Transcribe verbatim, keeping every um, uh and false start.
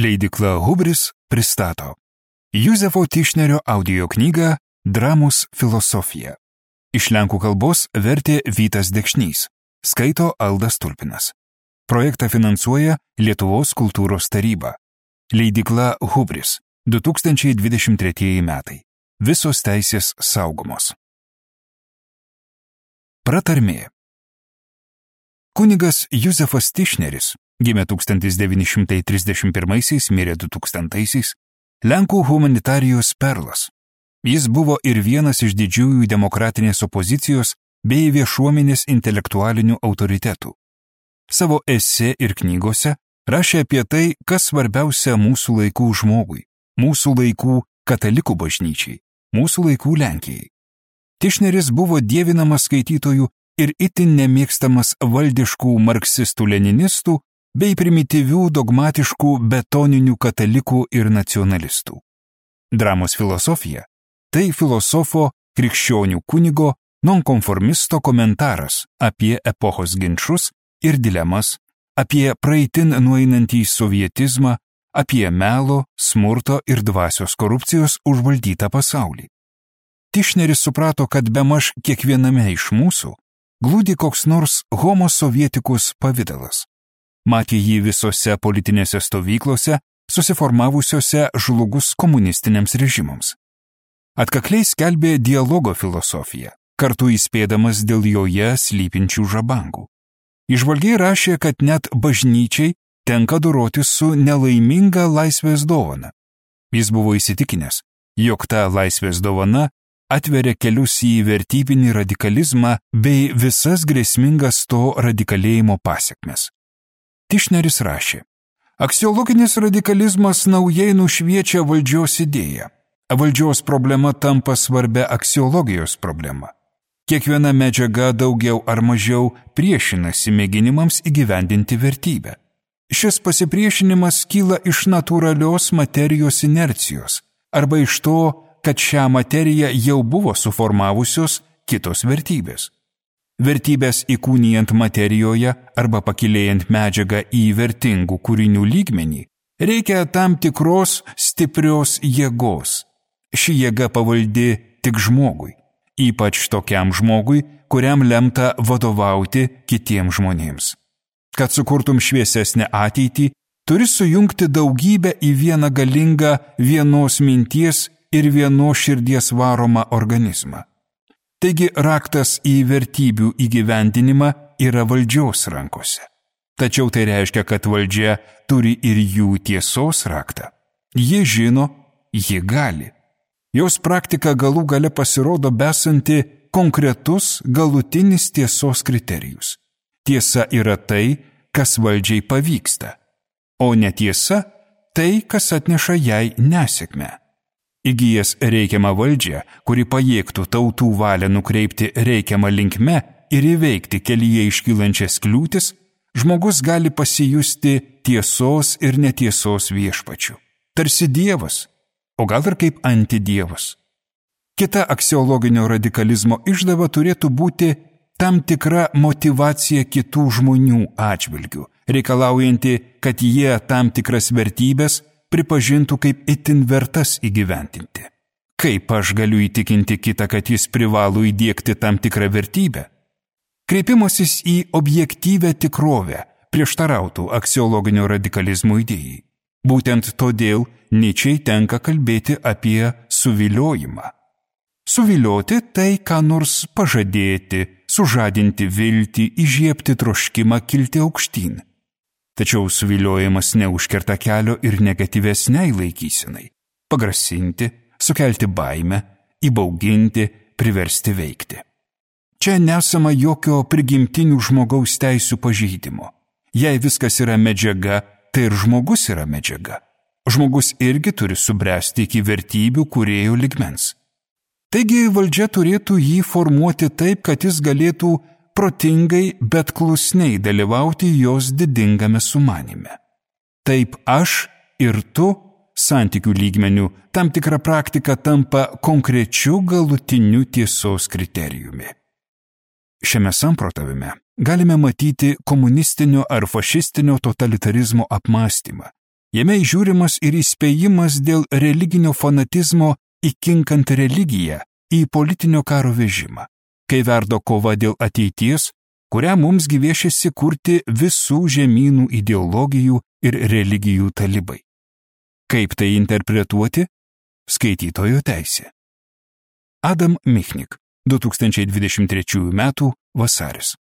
Leidykla Hubris pristato Juzefo Tišnerio audio knygą Dramos filosofija. Iš lenkų kalbos vertė Vytas Dekšnys, skaito Aldas Tulpinas. Projektą finansuoja Lietuvos kultūros taryba. Leidykla Hubris, du tūkstančiai dvidešimt treči metai. Visos teisės saugomos. Pratarmė. Kunigas Juzefas Tišneris gimė tūkstantis devyni šimtai trisdešimt pirmaisiais, mirė du tūkstantaisiais, Lenkų humanitarijos perlas. Jis buvo ir vienas iš didžiųjų demokratinės opozicijos bei viešuomenės intelektualinių autoritetų. Savo esė ir knygose rašė apie tai, kas svarbiausia mūsų laikų žmogui, mūsų laikų katalikų bažnyčiai, mūsų laikų Lenkijai. Tišneris buvo dievinamas skaitytojų ir itin nemėgstamas valdiškų marksistų-leninistų bei primityvių dogmatiškų betoninių katalikų ir nacionalistų. Dramos filosofija – tai filosofo, krikščionių kunigo, nonkonformisto komentaras apie epochos ginčus ir dilemas, apie praeitin nueinantį sovietizmą, apie melo, smurto ir dvasios korupcijos užvaldytą pasaulį. Tišneris suprato, kad bemaž kiekviename iš mūsų glūdi koks nors homo sovietikus pavidalas. Matė jį visose politinėse stovyklose, susiformavusiose žlugus komunistiniams režimams. Atkakliai skelbė dialogo filosofiją, kartu įspėdamas dėl joje slypinčių žabangų. Įžvalgiai rašė, kad net bažnyčiai tenka doroti su nelaiminga laisvės dovana. Jis buvo įsitikinęs, jog ta laisvės dovana atveria kelius į vertybinį radikalizmą bei visas grėsmingas to radikalėjimo pasekmes. Tišneris rašė, aksiologinis radikalizmas naujai nušviečia valdžios idėją. Valdžios problema tampa svarbia aksiologijos problema. Kiekviena medžiaga daugiau ar mažiau priešinasi mėginimams įgyvendinti vertybę. Šis pasipriešinimas kyla iš natūralios materijos inercijos arba iš to, kad šią materiją jau buvo suformavusios kitos vertybės. Vertybės įkūnijant materijoje arba pakilėjant medžiagą į vertingų kūrinių lygmenį, reikia tam tikros stiprios jėgos. Ši jėga pavaldi tik žmogui, ypač tokiam žmogui, kuriam lemta vadovauti kitiems žmonėms. Kad sukurtum šviesesnę ateitį, turi sujungti daugybę į vieną galingą vienos minties ir vienos širdies varomą organizmą. Taigi raktas į vertybių įgyvendinimą yra valdžios rankose. Tačiau tai reiškia, kad valdžia turi ir jų tiesos raktą. Ji žino, ji gali. Jos praktika galų gale pasirodo besanti konkretus galutinis tiesos kriterijus. Tiesa yra tai, kas valdžiai pavyksta, o netiesa tai, kas atneša jai nesėkmę. Įgijęs reikiamą valdžią, kuri pajėgtų tautų valią nukreipti reikiamą linkme ir įveikti kelyje iškylančias kliūtis, žmogus gali pasijusti tiesos ir netiesos viešpačiu. Tarsi dievas, o gal ir kaip antidievas. Kita aksiologinio radikalizmo išdava turėtų būti tam tikra motyvacija kitų žmonių atžvilgių, reikalaujanti, kad jie tam tikras vertybės pripažintų kaip itin vertas įgyventinti. Kaip aš galiu įtikinti kitą, kad jis privalo įdiegti tam tikrą vertybę? Kreipimasis į objektyvę tikrovę prieštarautų aksiologinio radikalizmo idėjai. Būtent todėl Nyčei tenka kalbėti apie suviliojimą. Suvilioti tai, ką nors pažadėti, sužadinti viltį, įžiebti troškimą kilti aukštyn. Tačiau suviliojimas neužkerta kelio ir negatyvesniai laikysenai – pagrasinti, sukelti baimę, įbauginti, priversti veikti. Čia nesama jokio prigimtinių žmogaus teisių pažeidimo. Jei viskas yra medžiaga, tai ir žmogus yra medžiaga. Žmogus irgi turi subręsti iki vertybių kūrėjo lygmens. Taigi valdžia turėtų jį formuoti taip, kad jis galėtų protingai, bet klusniai dalyvauti jos didingame sumanime. Taip aš ir tu santykių lygmenių tam tikra praktika tampa konkrečiu galutiniu tiesos kriterijumi. Šiame samprotavime galime matyti komunistinio ar fašistinio totalitarizmo apmąstymą, Jame įžiūrimas ir įspėjimas dėl religinio fanatizmo įkinkant religiją į politinio karo vežimą, kai verdo kova dėl ateities, kurią mums gyviešiasi kurti visų žemynų ideologijų ir religijų talibai. Kaip tai interpretuoti? Skaitytojo teisė. Adam Michnik, du tūkstančiai dvidešimt trečiųjų metų vasaris.